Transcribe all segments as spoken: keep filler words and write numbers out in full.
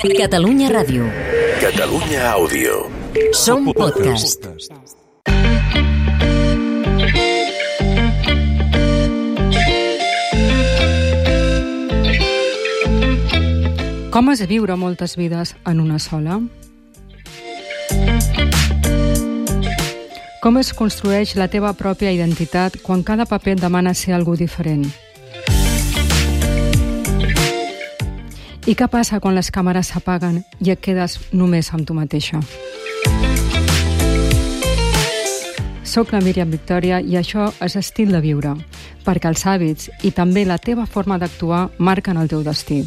Catalunya Ràdio. Catalunya Àudio. Som podcast. Com és viure moltes vides en una sola? Com es construeix la teva pròpia identitat quan cada paper et demana ser algú diferent? I què passa quan les càmeres s'apaguen i et quedes només amb tu mateixa? Soc la Míriam Victòria i això és Estil de viure, perquè els hàbits i també la teva forma d'actuar marquen el teu destí.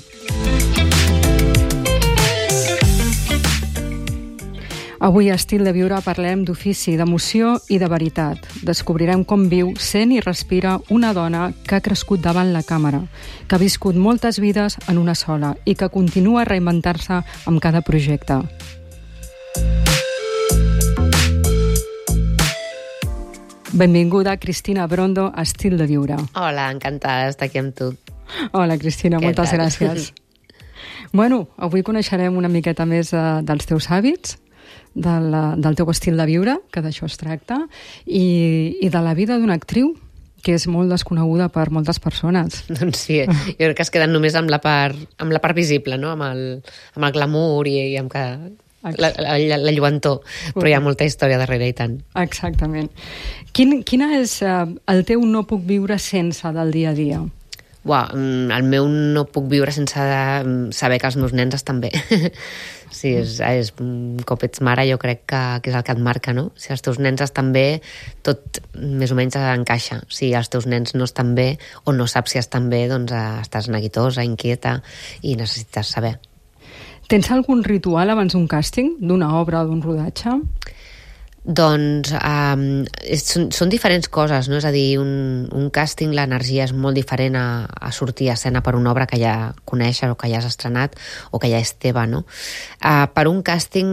Avui a Estil de viure parlem d'ofici, d'emoció i de veritat. Descobrirem com viu, sent i respira una dona que ha crescut davant la càmera, que ha viscut moltes vides en una sola i que continua a reinventar-se amb cada projecte. Benvinguda, Cristina Brondo, a Estil de viure. Hola, encantada d'estar aquí amb tu. Hola, Cristina, Què moltes tal? gràcies. Bueno, avui coneixerem una miqueta més eh, dels teus hàbits, del, del teu estil de viure, que d'això es tracta, i, i de la vida d'una actriu, que és molt desconeguda per moltes persones. Doncs sí, jo crec que es queden només amb la part, amb la part visible, no? amb, el, amb el glamour i, i amb que, la, la, la, la lluentor, però hi ha molta història darrere i tant. Exactament. Quin, quina és eh, el teu no puc viure sense del dia a dia? Uau, el meu no puc viure sense de saber que els meus nens estan bé. Sí, és, és, un cop ets mare jo crec que, que és el que et marca, no? Si els teus nens estan bé, tot més o menys encaixa. Si els teus nens no estan bé o no saps si estan bé, doncs eh, estàs neguitosa, inquieta i necessites saber. Tens algun ritual abans d'un càsting, d'una obra o d'un rodatge? Doncs um, és, són, són diferents coses, no? És a dir, un, un càsting, l'energia és molt diferent a, a sortir a escena per una obra que ja coneixes o que ja has estrenat o que ja és teva, no? Uh, per un càsting,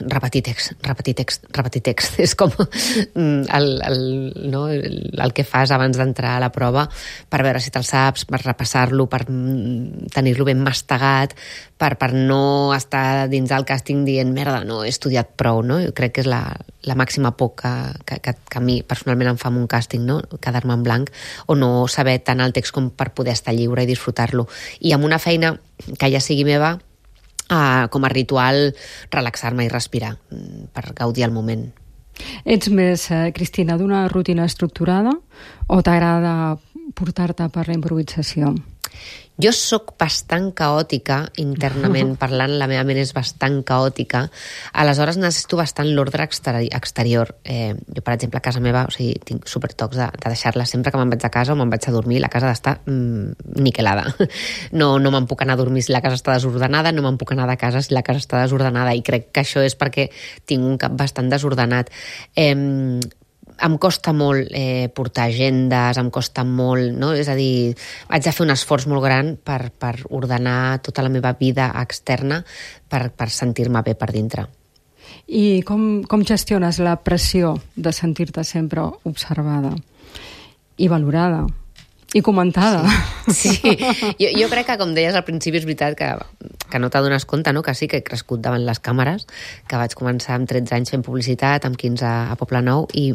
repetir text, repetir text, repetir text. És com el, el, no? el, el que fas abans d'entrar a la prova per veure si te'l saps, per repassar-lo, per tenir-lo ben mastegat, per, per no estar dins del càsting dient merda, no he estudiat prou, no? Jo crec que és la, la màxima por que, que, que, que a mi personalment em fa amb un càsting, no? Quedar-me en blanc o no saber tant el text com per poder estar lliure i disfrutar-lo. I amb una feina que ja sigui meva, eh, com a ritual, relaxar-me i respirar per gaudir el moment. Ets més, eh, Cristina, d'una rutina estructurada o t'agrada portar-te per la improvisació? Jo sóc bastant caòtica internament parlant, la meva ment és bastant caòtica, aleshores necessito bastant l'ordre exterior. Eh, jo, per exemple, a casa meva, o sigui, tinc supertocs de, de deixar-la sempre que me'n vaig a casa o me'n vaig a dormir, la casa ha d'estar mm, niquelada. No, no me'n puc anar a dormir si la casa està desordenada, no me'n puc anar de casa si la casa està desordenada, i crec que això és perquè tinc un cap bastant desordenat. Eh, em costa molt eh, portar agendes, em costa molt, no? És a dir, haig de fer un esforç molt gran per, per ordenar tota la meva vida externa per, per sentir-me bé per dintre. I com, com gestiones la pressió de sentir-te sempre observada i valorada i comentada? Sí, sí. Jo, jo crec que, com deies al principi, és veritat que, que no t'adones compte, no? Que sí que he crescut davant les càmeres, que vaig començar amb tretze anys fent publicitat, amb quinze a Poblenou, i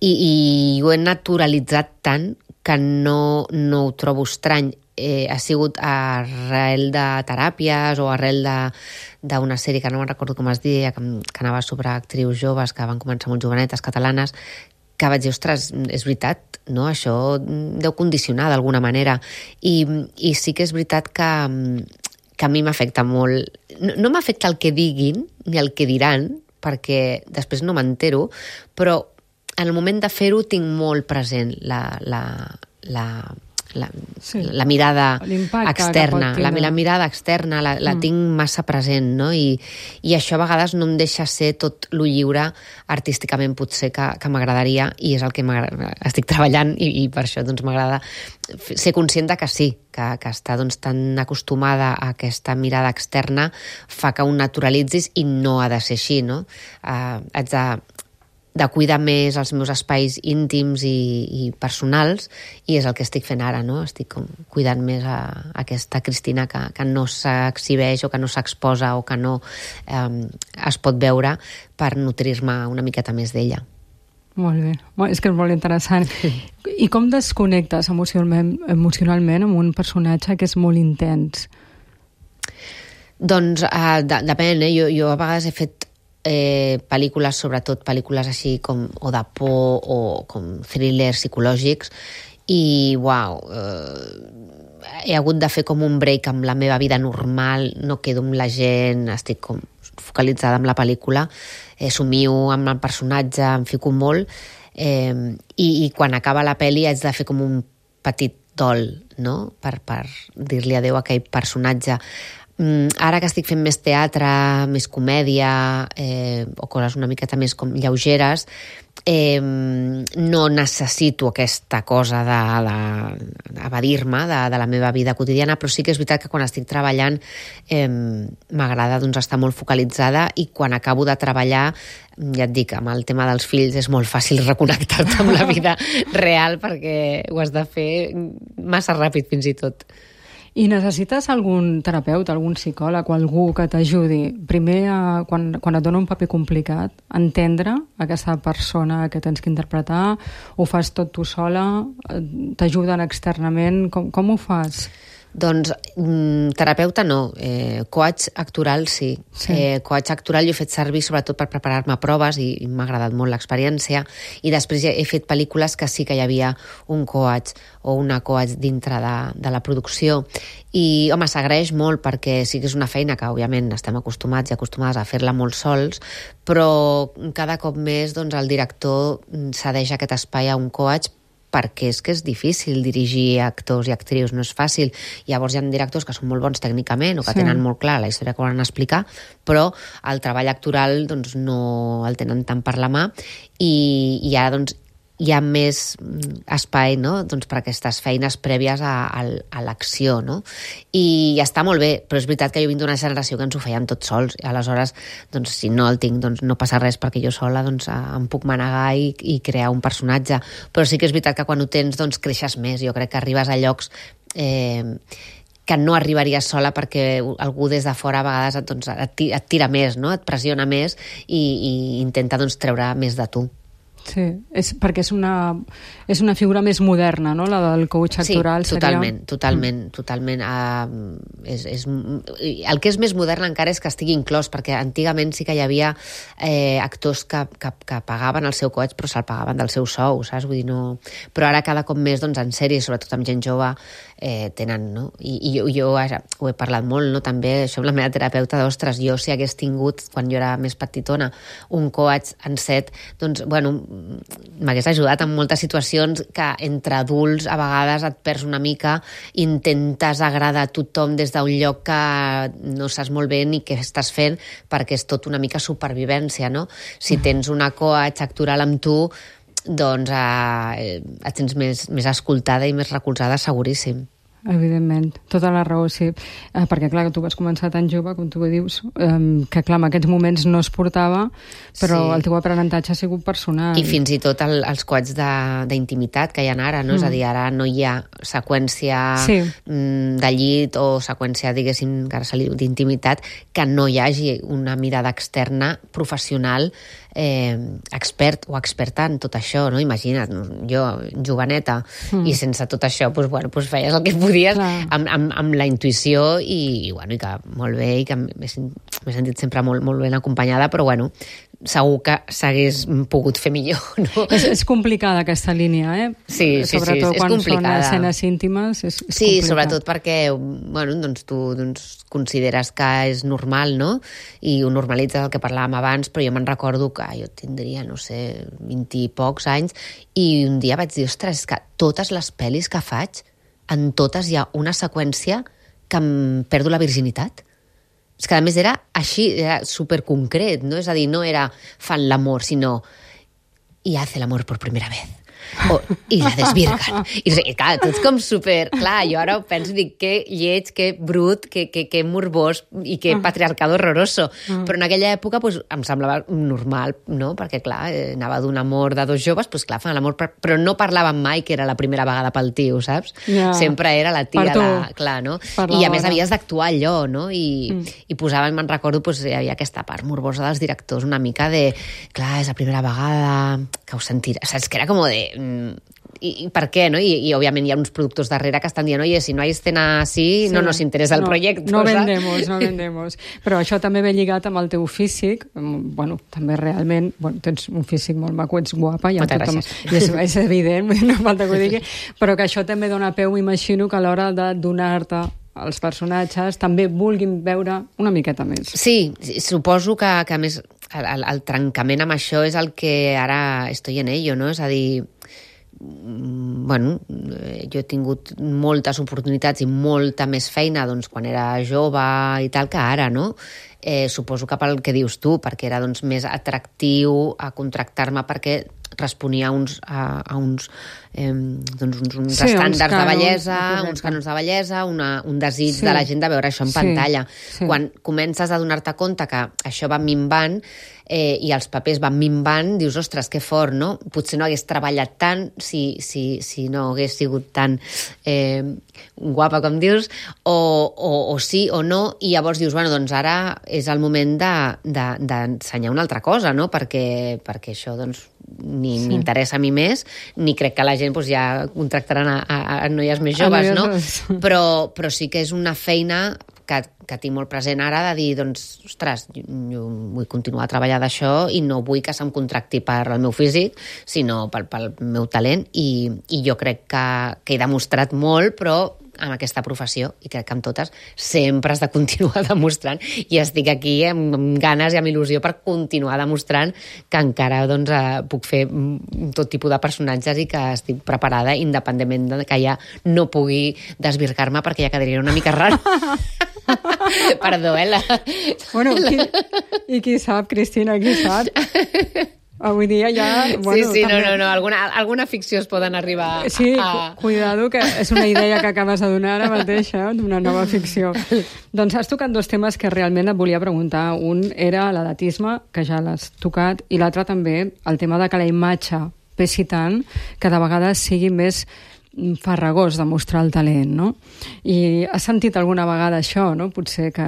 I, i ho he naturalitzat tant que no, no ho trobo estrany. Eh, ha sigut arrel de teràpies o arrel d'una sèrie que no me'n recordo com es deia, que, que anava sobre actrius joves que van començar molt jovenetes, catalanes, que vaig dir, ostres, és veritat, no? Això deu condicionar d'alguna manera. I, i sí que és veritat que, que a mi m'afecta molt. No, no m'afecta el que diguin ni el que diran, perquè després no m'entero, però en el moment de fer-ho tinc molt present la, la, la, la, sí. la mirada externa, la, la mirada externa la, la mm. tinc massa present, no? I, i això a vegades no em deixa ser tot lo lliure artísticament potser que, que m'agradaria, i és el que estic treballant, i, i per això doncs, m'agrada ser conscient de que sí, que, que estar doncs, tan acostumada a aquesta mirada externa fa que ho naturalitzis i no ha de ser així, no? Uh, haig de de cuidar més els meus espais íntims i, i personals, i és el que estic fent ara, no? Estic com cuidant més a, a aquesta Cristina que, que no s'exhibeix o que no s'exposa o que no eh, es pot veure, per nutrir-me una miqueta més d'ella. Molt bé, és que és molt interessant. I com desconnectes emocionalment, emocionalment amb un personatge que és molt intens? Doncs uh, de, depèn, eh? Jo, jo a vegades he fet eh, pel·lícules, sobretot pel·lícules així com o de por o com thrillers psicològics, i uau, eh, he hagut de fer com un break amb la meva vida normal, no quedo amb la gent, estic com focalitzada en la pel·lícula, eh, somio amb el personatge, em fico molt, eh, i, i quan acaba la pel·li haig de fer com un petit dol, no?, per, per dir-li adeu a aquell personatge. Mm, ara que estic fent més teatre, més comèdia, eh, o coses una miqueta més com lleugeres, eh, no necessito aquesta cosa d'evadir-me de, de, de la meva vida quotidiana, però sí que és veritat que quan estic treballant eh, m'agrada doncs, estar molt focalitzada, i quan acabo de treballar, ja et dic, amb el tema dels fills és molt fàcil reconnectar-te amb la vida real, perquè ho has de fer massa ràpid fins i tot. I necessites algun terapeuta, algun psicòleg o algú que t'ajudi, primer, a, quan, quan et dona un paper complicat, entendre aquesta persona que tens que interpretar, ho fas tot tu sola, t'ajuden externament, com, com ho fas? Doncs mm, terapeuta no, eh, coach actoral sí. sí. Eh, coach actoral jo he fet servir sobretot per preparar-me a proves, i, i m'ha agradat molt l'experiència, i després he fet pel·lícules que sí que hi havia un coach o una coach dintre de, de la producció, i home, s'agraeix molt perquè sí que és una feina que òbviament estem acostumats i acostumades a fer-la molt sols, però cada cop més doncs, el director cedeix aquest espai a un coach, perquè és que és difícil dirigir actors i actrius, no és fàcil. Llavors hi ha directors que són molt bons tècnicament o que sí. tenen molt clar la història que volen explicar, però el treball actoral doncs, no el tenen tant per la mà, i, i ara doncs, hi ha més espai, no?, doncs, per aquestes feines prèvies a, a, a l'acció, no? I ja està molt bé, però és veritat que jo vinc d'una generació que ens ho fèiem tots sols, i aleshores, doncs, si no el tinc, doncs no passa res, perquè jo sola doncs, em puc manegar i, i crear un personatge. Però sí que és veritat que quan ho tens, doncs, creixes més. Jo crec que arribes a llocs eh, que no arribaries sola, perquè algú des de fora a vegades doncs, et tira més, no?, et pressiona més, i, i intenta doncs, treure més de tu. Sí, és perquè és una, és una figura més moderna, no?, la del coach actoral. Sí, totalment, seria... totalment, mm. totalment. Uh, és, és, el que és més modern encara és que estigui inclòs, perquè antigament sí que hi havia eh, actors que, que, que pagaven el seu coach, però se'l pagaven del seu sou, saps? Vull dir, no... Però ara cada cop més, doncs, en sèries, sobretot amb gent jove, eh, tenen, no? I, i jo, jo ho he parlat molt, no?, també, això amb la meva terapeuta, d'ostres, jo si hagués tingut, quan jo era més petitona, un coach en set, doncs, bueno, m'hagués ajudat en moltes situacions que entre adults a vegades et perds una mica, intentes agradar a tothom des d'un lloc que no saps molt bé ni què estàs fent, perquè és tot una mica supervivència, no? Si tens una coach actoral amb tu, doncs eh, et tens més, més escoltada i més recolzada, seguríssim. Evidentment, tota la raó, sí. Eh, perquè, clar, tu vas començar tan jove, com tu dius, eh, que, clar, en aquests moments no es portava, però sí. El teu aprenentatge ha sigut personal. I fins i tot el, els coats d'intimitat que hi ha ara, no? Mm. És a dir, ara no hi ha seqüència sí. de llit o seqüència, diguéssim, d'intimitat, que no hi hagi una mirada externa professional eh, expert o experta en tot això, no? Imagina't, jo, joveneta, mm. i sense tot això, doncs, bueno, doncs feies el que podies amb, amb, amb la intuïció, i, i, bueno, i que molt bé, i que m'he sentit sempre molt, molt ben acompanyada, però bueno, segur que s'hagués pogut fer millor, no? És, és complicada aquesta línia, eh? Sí, sí, sobretot sí, és quan complicada. Són escenes íntimes, és, és sí, complicat. Sobretot perquè, bueno, doncs tu doncs, consideres que és normal, no? I ho normalitzes, el que parlàvem abans, però jo me'n recordo que jo tindria, no sé, vint i pocs anys, i un dia vaig dir, ostres, és que totes les pel·lis que faig, en totes hi ha una seqüència que em perdo la virginitat. És que a més era així, era superconcret, no? És a dir, no era fan l'amor, sinó y hace l'amor per primera vez. o, i la desvirguen. I, i clar, tot com super... Clar, jo ara penso, dic, que lleig, que brut, que, que, que morbós i que patriarcado horroroso. Però en aquella època pues, em semblava normal, no? Perquè, clar, eh, anava d'un amor de dos joves, pues, clar, fan l'amor, però no parlaven mai que era la primera vegada pel tio, saps? Ja. Sempre era la tia, la, clar, no? I a més havies d'actuar allò, no? I, mm. i posaven, me'n recordo, pues, hi havia aquesta part morbosa dels directors, una mica de, clar, és la primera vegada que ho sentirà, saps? Que era com de... I, i per què, no? I, i òbviament hi ha uns productors darrere que estan dient, oye, si no hay escena así, sí, no nos interesa el no, proyecto. No vendemos, no vendemos. Però això també ve lligat amb el teu físic, bueno, també realment, bueno, tens un físic molt maco, ets guapa, ja moltes tothom, gràcies. és, és evident, no falta que ho digui, però que això també dona peu, m'imagino, que a l'hora de donar-te els personatges també vulguin veure una miqueta més. Sí, suposo que, que a més el, el trencament amb això és el que ara estoy en ello, no? És a dir, bueno, jo he tingut moltes oportunitats i molta més feina doncs, quan era jove i tal que ara, no? Eh, suposo que pel que dius tu, perquè era doncs, més atractiu a contractar-me perquè responia a uns, a, a uns, eh, doncs uns, uns sí, estàndards uns cànons, de bellesa, uns cànons de bellesa, una, un desig sí. de la gent de veure això en sí. pantalla. Sí. Quan comences a donar-te compte que això va minvant eh, i els papers van minvant, dius, ostres, que fort, no? Potser no hagués treballat tant si, si, si no hagués sigut tan eh, guapa, com dius, o, o, o sí o no, i llavors dius, bueno, doncs ara és el moment d'ensenyar de, de, una altra cosa, no? Perquè, perquè això, doncs, ni sí. m'interessa a mi més, ni crec que la gent doncs, ja contractaran a, a, a noies més joves, no? Però, però sí que és una feina que, que tinc molt present ara de dir, doncs, ostres, jo, jo vull continuar a treballar d'això i no vull que se'm contracti per el meu físic, sinó pel, pel meu talent, i, i jo crec que, que he demostrat molt, però amb aquesta professió, i crec que amb totes sempre has de continuar demostrant, i estic aquí amb, amb ganes i amb il·lusió per continuar demostrant que encara doncs, eh, puc fer tot tipus de personatges i que estic preparada independentment de que ja no pugui desvirgar-me perquè ja quedaria una mica raro. Perdó, eh? La... Bueno, qui, i qui sap, Cristina, qui sap? Avui dia ja... Bueno, sí, sí, també... no, no, no, alguna, alguna ficció es poden arribar a... Sí, a... cuidado, que és una idea que acabes de donar ara mateix, eh, d'una nova ficció. Doncs has tocat dos temes que realment et volia preguntar. Un era l'edatisme, que ja l'has tocat, i l'altre també el tema de que la imatge pesi tant que de vegades sigui més farragós de mostrar el talent, no? I has sentit alguna vegada això, no? Potser que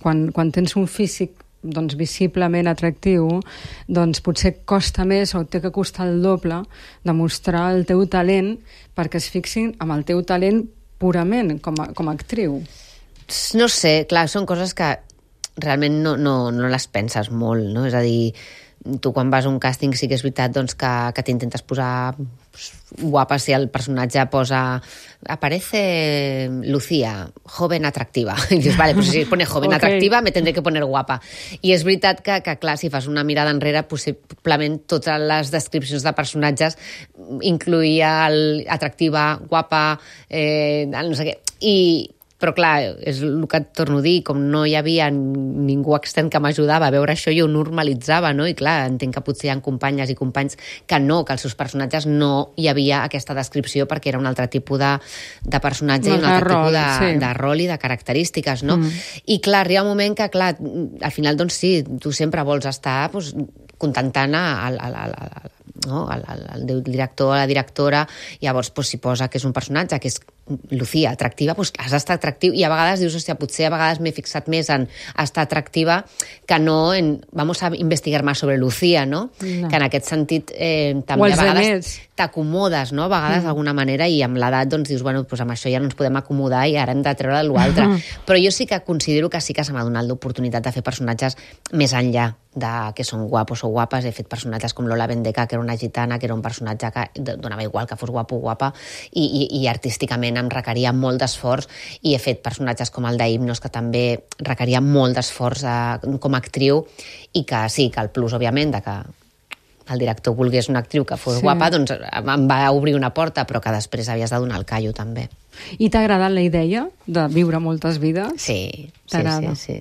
quan, quan tens un físic doncs, visiblement atractiu, doncs potser costa més o té que costar el doble de mostrar el teu talent perquè es fixin amb el teu talent purament com a, com a actriu. No sé, clar, són coses que realment no, no, no les penses molt, no? És a dir, tu quan vas a un càsting sí que és veritat doncs, que, que t'intentes posar guapa si el personatge posa aparece Lucía, joven atractiva. I dius, vale, pues si pone joven okay. atractiva me tendré que poner guapa. I és veritat que, que clar, si fas una mirada enrere, possiblement totes les descripcions de personatges incluïa el atractiva, guapa, eh, no sé què. I però clar, és el que et torno a dir, com no hi havia ningú extern que m'ajudava a veure això, jo ho normalitzava, no? I clar, entenc que potser hi ha companyes i companys que no, que els seus personatges no hi havia aquesta descripció perquè era un altre tipus de, de personatge no, i un altre rol, tipus de, sí. de rol i de característiques, no? Mm. I clar, arriba un moment que, clar, al final, doncs sí, tu sempre vols estar doncs, contentant al, al, al, al, no? el, el, el director o la directora, i llavors doncs, si posa que és un personatge que és Lucía, atractiva, doncs has d'estar atractiu, i a vegades dius, hòstia, potser a vegades m'he fixat més en estar atractiva que no en, vamos a investigar más sobre Lucía, no? no. Que en aquest sentit eh, també a vegades t'acomodes, no? A vegades mm. d'alguna manera, i amb l'edat doncs dius, bueno, doncs amb això ja no ens podem acomodar i ara hem de treure l'altre. Mm. Però jo sí que considero que sí que se m'ha donat l'oportunitat de fer personatges més enllà de que són guapos o guapes. He fet personatges com Lola Bendeca, que era una gitana, que era un personatge que donava igual que fos guapo o guapa, i, i, i artísticament em requeria molt d'esforç, i he fet personatges com el d'Himnos, que també requeria molt d'esforç eh, com a actriu, i que sí, que el plus, òbviament, de que el director volgués una actriu que fos sí. guapa, doncs em va obrir una porta, però que després havies de donar el callo, també. I t'ha agradat la idea de viure moltes vides? Sí, sí, sí, sí.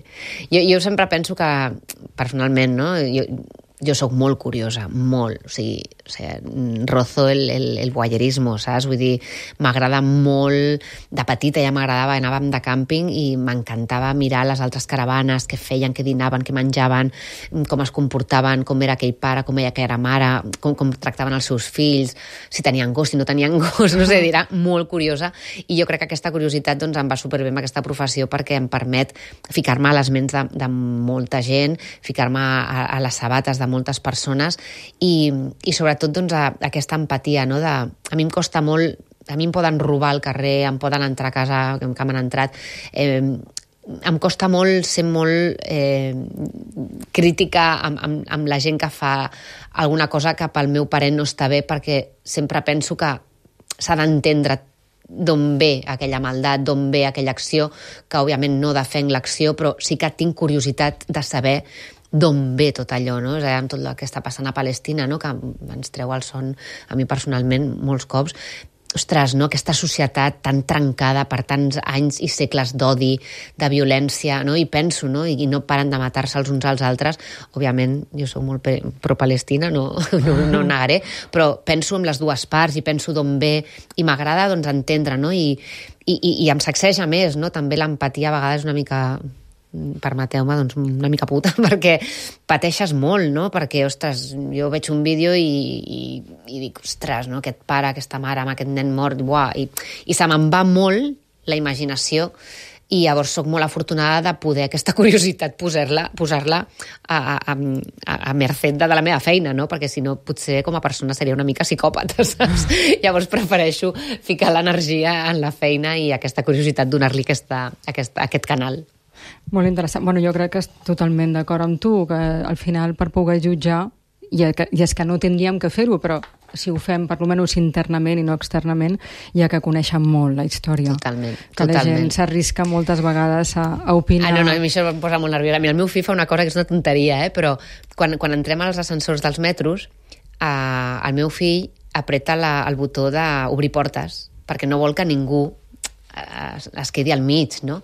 Jo, jo sempre penso que, personalment, no? Jo, jo sóc molt curiosa, molt, o sigui, o sigui rozo el, el, el voyeurismo, saps? Vull dir, m'agrada molt, de petita ja m'agradava, anàvem de càmping i m'encantava mirar les altres caravanes, què feien, què dinaven, què menjaven, com es comportaven, com era aquell pare, com era aquella mare, com, com tractaven els seus fills, si tenien gos, si no tenien gos, no sé, era molt curiosa, i jo crec que aquesta curiositat doncs, em va superbé amb aquesta professió perquè em permet ficar-me a les ments de, de molta gent, ficar-me a, a les sabates de moltes persones i, i sobretot doncs, a, a aquesta empatia, no? De, a mi em costa molt, a mi em poden robar al carrer, em poden entrar a casa, que m'han entrat, eh, em costa molt ser molt eh, crítica amb, amb, amb la gent que fa alguna cosa que pel meu parer no està bé, perquè sempre penso que s'ha d'entendre d'on ve aquella maldat, d'on ve aquella acció, que òbviament no defenc l'acció, però sí que tinc curiositat de saber d'on ve tot allò, no? És a dir, amb tot el que està passant a Palestina, no? Que ens treu el son a mi personalment molts cops. Ostres, no? Aquesta societat tan trencada per tants anys i segles d'odi, de violència, no? I penso, no? I no paren de matar-se els uns als altres. Òbviament, jo soc molt pro-Palestina, no, no, no negaré, però penso en les dues parts i penso d'on ve i m'agrada doncs, entendre, no? I, i, i em sacseja més, no? També l'empatia a vegades una mica... permeteu-me, doncs una mica puta, perquè pateixes molt, no? Perquè, ostres, jo veig un vídeo i, i, i dic, ostres, no? Aquest pare, aquesta mare, amb aquest nen mort, buah, i, i se me'n va molt la imaginació i llavors sóc molt afortunada de poder aquesta curiositat posar-la posar-la a, a, a, a merced de la meva feina, no? Perquè si no potser com a persona seria una mica psicòpata, saps? Llavors prefereixo ficar l'energia en la feina i aquesta curiositat donar-li aquesta, aquesta, aquest canal. Molt interessant. Bueno, jo crec que és totalment d'acord amb tu, que al final per poder jutjar, i és que no tindríem que fer-ho, però si ho fem per almenys internament i no externament, hi ha que conèixer molt la història. Totalment. Que totalment. la gent s'arrisca moltes vegades a, a opinar. Ah, no, no, a mi això em posa molt nerviosa. Mira, el meu fill fa una cosa que és una tonteria, eh? Però quan, quan entrem als ascensors dels metros, eh, el meu fill apreta la, el botó d'obrir portes, perquè no vol que ningú es, es quedi al mig, no?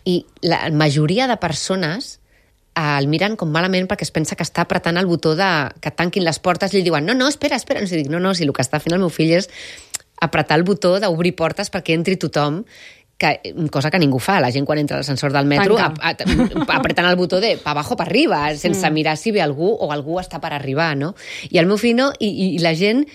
I la majoria de persones el miren com malament perquè es pensa que està apretant el botó de que tanquin les portes i li diuen, no, no, espera, espera. No, si dic, no, no, si el que està fent el meu fill és apretar el botó d'obrir portes perquè entri tothom, que, cosa que ningú fa. La gent quan entra a l'ascensor del metro a, a, apretant el botó de pa abajo, pa arriba, sense mm. mirar si ve algú o algú està per arribar, no? I el meu fill no, i, i la gent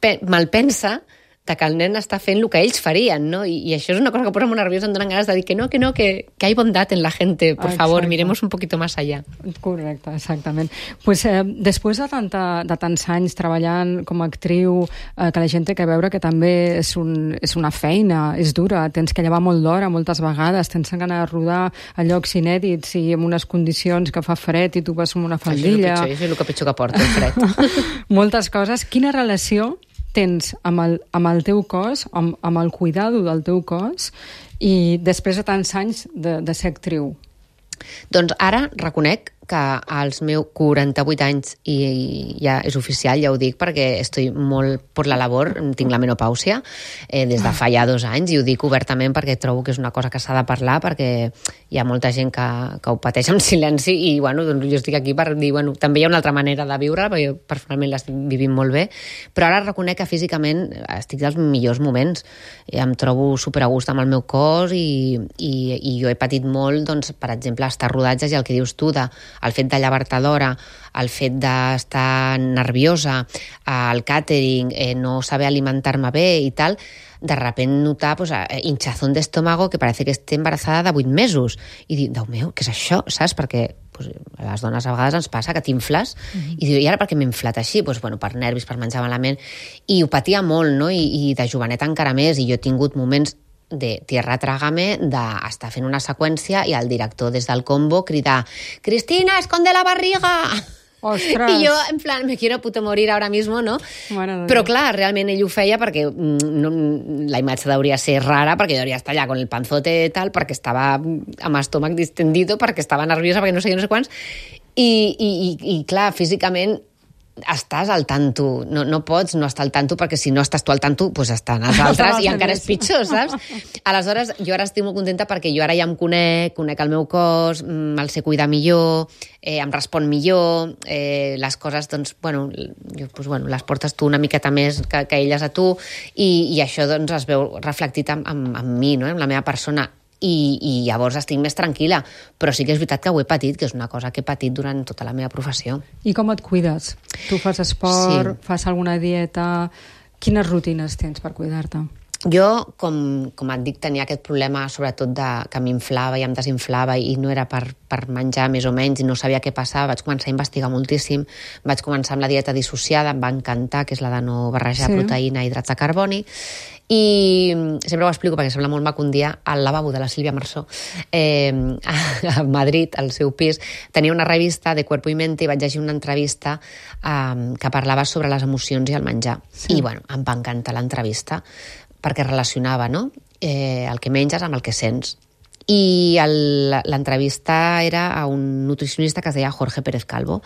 pe, malpensa de que el nen està fent el que ells farien, no? I, i això és una cosa que posa molt nerviosa, em donen ganes de dir que no, que no, que, que hay bondad en la gente, por Exacte. Favor, miremos un poquito más allá. Correcte, exactament. Pues, eh, després de, tanta, de tants anys treballant com a actriu, eh, que la gent té que veure que també és, un, és una feina, és dura, tens que llevar molt d'hora moltes vegades, tens que anar a rodar a llocs inèdits i en unes condicions que fa fred i tu vas amb una faldilla. Això és el pitjor, això és el que pitjor que porta, el fred. Moltes coses. Quina relació tens amb el, amb el teu cos, amb, amb el cuidado del teu cos, i després de tants anys de, de ser actriu? Doncs ara reconec que als meus quaranta-vuit anys, i, i ja és oficial, ja ho dic, perquè estic molt per la labor, tinc la menopàusia eh, des de fa ja dos anys, i ho dic obertament perquè trobo que és una cosa que s'ha de parlar, perquè hi ha molta gent que, que ho pateix en silenci, i bueno, doncs jo estic aquí per dir, bueno, també hi ha una altra manera de viure, perquè jo personalment l'estic vivint molt bé, però ara reconec que físicament estic dels millors moments, em trobo super a gust amb el meu cos, i, i, i jo he patit molt, doncs, per exemple, estar rodatges i el que dius tu, de el fet de llevar-te d'hora, el fet d'estar nerviosa, el càtering, eh, no saber alimentar-me bé i tal, de repente notar pues, hinchazón d'estómago que parece que esté embarazada de vuit mesos. I dic, Déu meu, què és això? Saps? Perquè pues, a les dones a vegades ens passa que t'infles, mm-hmm. i diu, i ara per què m'he inflat així? Pues, bueno, per nervis, per menjar malament. I ho patia molt, no? I, i de jovenet encara més, i jo he tingut moments de tierra trágame, d'estar fent una seqüència i el director des del combo cridar «Cristina, esconde la barriga!» Ostres. I jo, en plan, me quiero puto morir ahora mismo, no? Bueno, però clar, realment ell ho feia perquè no, la imatge hauria ser rara, perquè hauria estar allà con el panzote i tal, perquè estava amb estómac distendido, perquè estava nerviosa, perquè no sé què, no sé quants, i, i, i, i clar, físicament estàs al tanto, no, no pots no estar al tanto, perquè si no estàs tu al tanto, doncs estan els altres i encara és pitjor, saps? Aleshores, jo ara estic molt contenta perquè jo ara ja em conec, conec el meu cos, el sé cuidar millor, eh, em respon millor, eh, les coses, doncs, bueno, jo, doncs, bueno, les portes tu una miqueta més que, que elles a tu, i, i això doncs, es veu reflectit en, en, en mi, no? En la meva persona. I, i llavors estic més tranquil·la, però sí que és veritat que ho he patit, que és una cosa que he patit durant tota la meva professió. I com et cuides? Tu fas esport, sí. Fas alguna dieta? Quines rutines tens per cuidar-te? Jo, com, com et dic, tenia aquest problema sobretot de, que m'inflava i em desinflava i no era per, per menjar més o menys i no sabia què passava. Vaig començar a investigar moltíssim, vaig començar amb la dieta dissociada, em va encantar, que és la de no barrejar sí. proteïna i hidrats de carboni, i sempre ho explico perquè sembla molt maco, un dia al lavabo de la Sílvia Marsó eh, a Madrid, al seu pis, tenia una revista de Cuerpo y Mente i vaig llegir una entrevista eh, que parlava sobre les emocions i el menjar. Sí. I bueno, em va encantar l'entrevista perquè relacionava, no? eh, el que menges amb el que sents. I l'entrevista era a un nutricionista que es deia Jorge Pérez Calvo.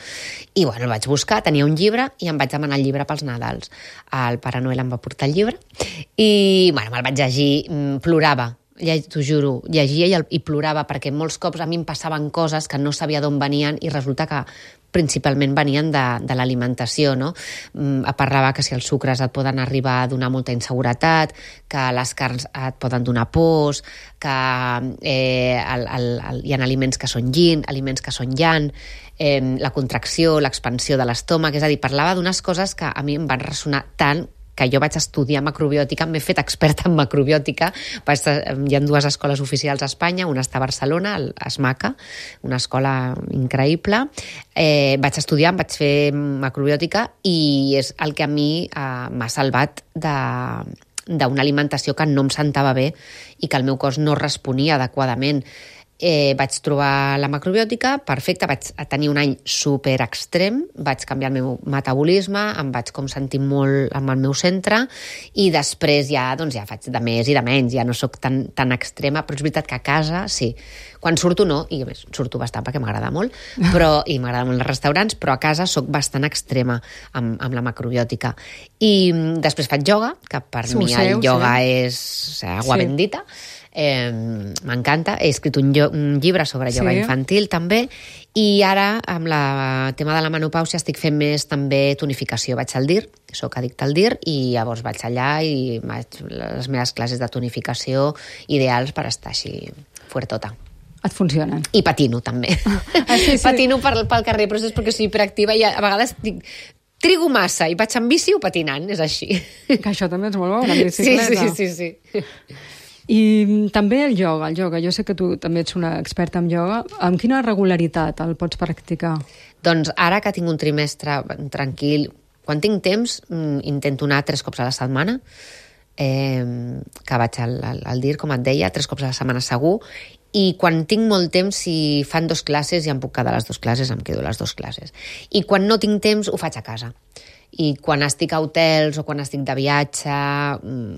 I bueno, el vaig buscar, tenia un llibre i em vaig demanar el llibre pels Nadals. El Pare Noel em va portar el llibre i bueno, me'l vaig llegir, plorava. T'ho juro, llegia i, el, i plorava perquè molts cops a mi em passaven coses que no sabia d'on venien i resulta que principalment venien de, de l'alimentació, no? Mm, parlava que si els sucres et poden arribar a donar molta inseguretat, que les carns et poden donar pors, que eh, el, el, el, hi ha aliments que són yin, aliments que són yang, eh, la contracció, l'expansió de l'estómac, és a dir, parlava d'unes coses que a mi em van ressonar tant que jo vaig estudiar macrobiòtica, m'he fet experta en macrobiòtica. Vaig, hi ha dues escoles oficials a Espanya, una està a Barcelona, a SMACA, una escola increïble. Eh, vaig estudiar, em vaig fer macrobiòtica i és el que a mi eh, m'ha salvat de d'una alimentació que no em sentava bé i que el meu cos no responia adequadament. Eh, vaig trobar la macrobiòtica perfecta, vaig tenir un any super extrem, vaig canviar el meu metabolisme, em vaig com sentir molt amb el meu centre i després ja, doncs ja faig de més i de menys, ja no sóc tan, tan extrema, però és veritat que a casa sí. Quan surto no, i a més surto bastant perquè m'agrada molt, però, i m'agrada molt els restaurants, però a casa sóc bastant extrema amb, amb la macrobiòtica. I després faig ioga, que per sí, mi el seu, ioga sí. és o sigui, agua sí. bendita. Eh, m'encanta, he escrit un, un llibre sobre ioga sí. infantil també, i ara amb el tema de la menopàusia estic fent més també tonificació. Vaig al D I R, soc addicte al D I R, i llavors vaig allà i vaig les meves classes de tonificació ideals per estar així fuertota. Et funcionen. I patino també. Ah, sí, sí. Patino pel, pel carrer, però és perquè soc hiperactiva i a vegades dic, trigo massa i vaig en bici o patinant, és així. Que això també és molt bo, una bicicleta. Sí, sí, sí, sí. I també el ioga, el ioga. Jo sé que tu també ets una experta en ioga. Amb quina regularitat el pots practicar? Doncs ara que tinc un trimestre tranquil, quan tinc temps, intento anar tres cops a la setmana, eh, que vaig al, al, al D I R, com et deia, tres cops a la setmana segur, i quan tinc molt temps, si fan dos classes, ja em puc quedar les dues classes, em quedo les dues classes. I quan no tinc temps, ho faig a casa. I quan estic a hotels o quan estic de viatge,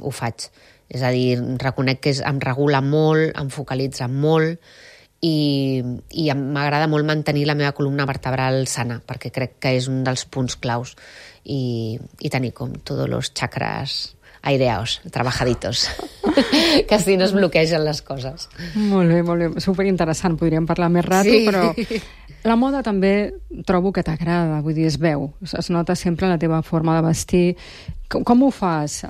ho faig. És a dir, reconec que és, em regula molt, em focalitza molt i, i m'agrada molt mantenir la meva columna vertebral sana, perquè crec que és un dels punts claus i, i tenir com tots els xacres aireados, trabajaditos, que així no es bloquegen les coses. Molt bé, molt bé. Superinteressant, podríem parlar més rato, sí. Però la moda també trobo que t'agrada, vull dir, es veu, es nota sempre la teva forma de vestir. Com, com ho fas?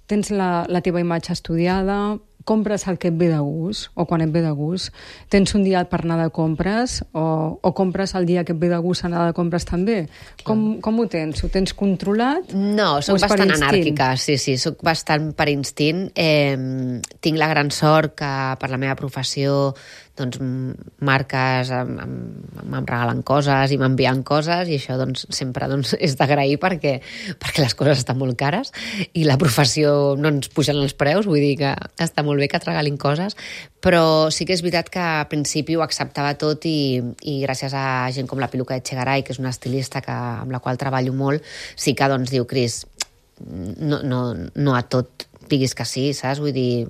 Tens la, la teva imatge estudiada, compres el que et ve de gust, o quan et ve de gust, tens un dia per anar de compres, o, o compres el dia que et ve de gust anar de compres també. Com, com ho tens? Ho tens controlat? No, soc bastant anàrquica, sí, sí, soc bastant per instint. Eh, tinc la gran sort que per la meva professió doncs marques em regalen coses i m'envien coses i això doncs sempre doncs, és d'agrair perquè, perquè les coses estan molt cares i la professió no ens pugen els preus, vull dir que està molt bé que et regalin coses, però sí que és veritat que al principi ho acceptava tot i, i gràcies a gent com la Piluca Echegaray, que és una estilista que, amb la qual treballo molt, sí que doncs diu, Cris, no, no, no a tot diguis que sí, saps? Vull dir,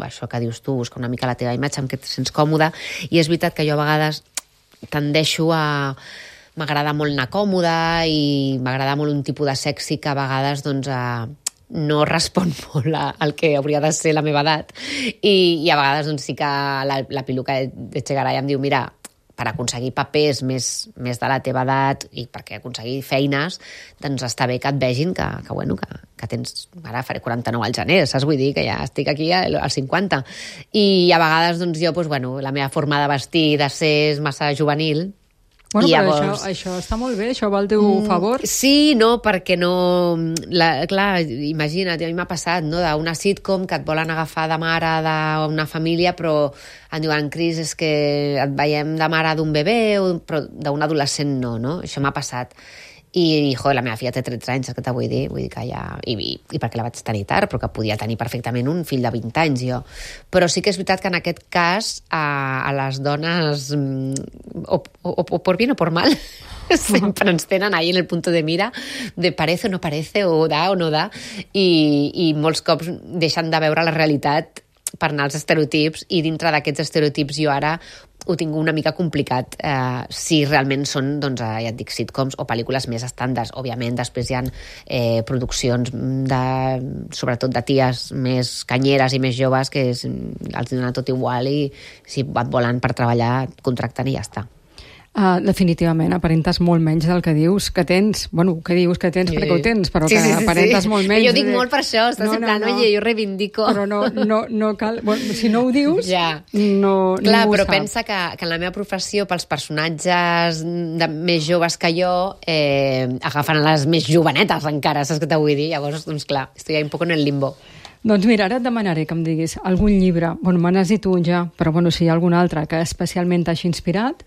això que dius tu, busca una mica la teva imatge amb què et sents còmode, i és veritat que jo a vegades tendeixo a m'agrada molt anar còmoda i m'agrada molt un tipus de sexy que a vegades doncs, eh, no respon molt a, al que hauria de ser la meva edat i, i a vegades doncs, sí que la, la piluca de Chegaray em diu mira, per aconseguir papers més, més de la teva edat i perquè aconseguir feines, doncs està bé que et vegin que, que, bueno, que, que tens... Ara faré quaranta-nou al gener, saps? Vull dir que ja estic aquí als cinquanta. I a vegades doncs, jo, doncs, bueno, la meva forma de vestir, de ser massa juvenil. Bueno, I però llavors... això, això està molt bé, això va al teu favor. Sí, no, perquè no... La, clar, imagina't, a mi m'ha passat, no?, d'una sitcom que et volen agafar de mare d'una família, però em diuen, Cris, és que et veiem de mare d'un bebè, però d'un adolescent no, no? Això m'ha passat. I, jo, la meva filla té tretze anys, és que te vull dir, vull dir que ja... I, i, i perquè la vaig tenir tard, però que podia tenir perfectament un fill de vint anys, jo. Però sí que és veritat que en aquest cas a, a les dones, o, o, o por bien o por mal, sempre ens tenen ahí en el punto de mira de parece o no parece, o da o no da, i, i molts cops deixen de veure la realitat per anar als estereotips, i dintre d'aquests estereotips jo ara ho tinc una mica complicat eh, si realment són, doncs, eh, ja et dic, sitcoms o pel·lícules més estàndards. Òbviament, després hi ha eh, produccions de, sobretot de ties més canyeres i més joves que és, els donen tot igual i si et volen per treballar, contracten i ja està. Uh, definitivament, aparentes molt menys del que dius que tens. Bueno, que dius que tens sí. perquè ho tens, però sí, que sí, sí, aparentes sí. molt menys. Jo dic molt per això, estàs no, en plan, no, no. Oye, jo reivindico. Però no, no, no cal... Bueno, si no ho dius, ja. no, Clar, ningú però sap. Pensa que, que en la meva professió, pels personatges de, més joves que jo, eh, agafen les més jovenetes encara, saps què te vull dir? Llavors, doncs clar, estic un poc en el limbo. Doncs mira, ara et demanaré que em diguis algun llibre, bueno, me n'has dit un ja, però bueno, si hi ha algun altre que especialment t'hagi inspirat,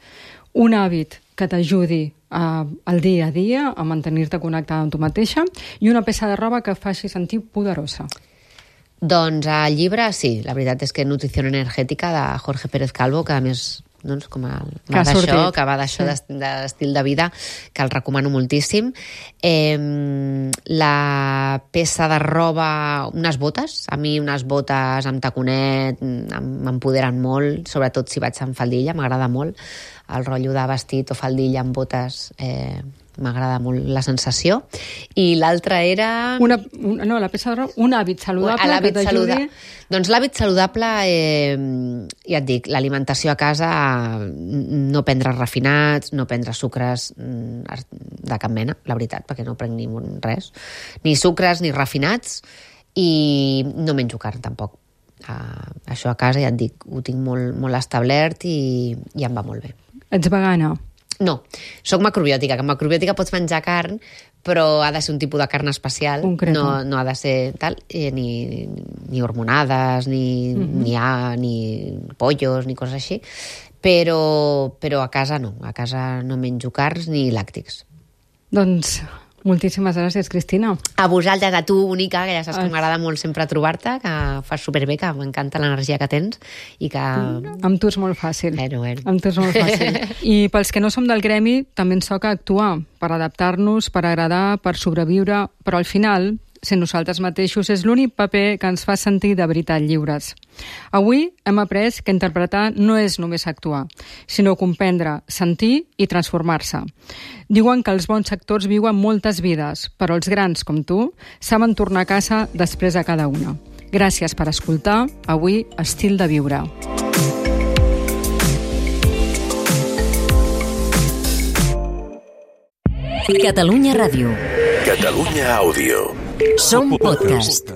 un hàbit que t'ajudi uh, al dia a dia a mantenir-te connectada amb tu mateixa i una peça de roba que faci sentir poderosa. Doncs el llibre, sí, la veritat és que Nutrició Energètica de Jorge Pérez Calvo, que a més doncs, com a, va d'això, que va d'això sí. d'estil de vida, que el recomano moltíssim. Eh, la peça de roba, unes botes, a mi unes botes amb taconet m'empoderen molt, sobretot si vaig amb faldilla, m'agrada molt el rotllo de vestit o faldilla amb botes, eh, m'agrada molt la sensació. I l'altra era... Una, una, no, la peça de roba, un hàbit saludable l'hàbit que t'ajudi... Saluda... Doncs l'hàbit saludable, eh, ja et dic, l'alimentació a casa, no prendre refinats, no prendre sucres de cap mena, la veritat, perquè no prenc ni res, ni sucres ni refinats, i no menjo carn tampoc. Uh, això a casa, ja et dic, ho tinc molt, molt establert i, i em va molt bé. Ets vegana? No, soc macrobiòtica, que en macrobiòtica pots menjar carn, però ha de ser un tipus de carn especial, no, no ha de ser tal, eh, ni, ni hormonades, ni, mm-hmm. ni, a, ni pollos, ni coses així, però, però a casa no, a casa no menjo carns ni làctics. Doncs moltíssimes gràcies, Cristina. A vosaltres, a tu, Única, que ja saps que m'agrada molt sempre trobar-te, que fas superbé, que m'encanta l'energia que tens i que... Amb tu és molt fàcil. Bueno, bueno. Amb tu és molt fàcil. I pels que no som del gremi, també ens toca actuar per adaptar-nos, per agradar, per sobreviure, però al final, ser nosaltres mateixos és l'únic paper que ens fa sentir de veritat lliures. Avui hem après que interpretar no és només actuar, sinó comprendre, sentir i transformar-se. Diuen que els bons actors viuen moltes vides, però els grans, com tu, saben tornar a casa després de cada una. Gràcies per escoltar avui Estil de Viure. Catalunya Ràdio. Catalunya Àudio. Som podcast.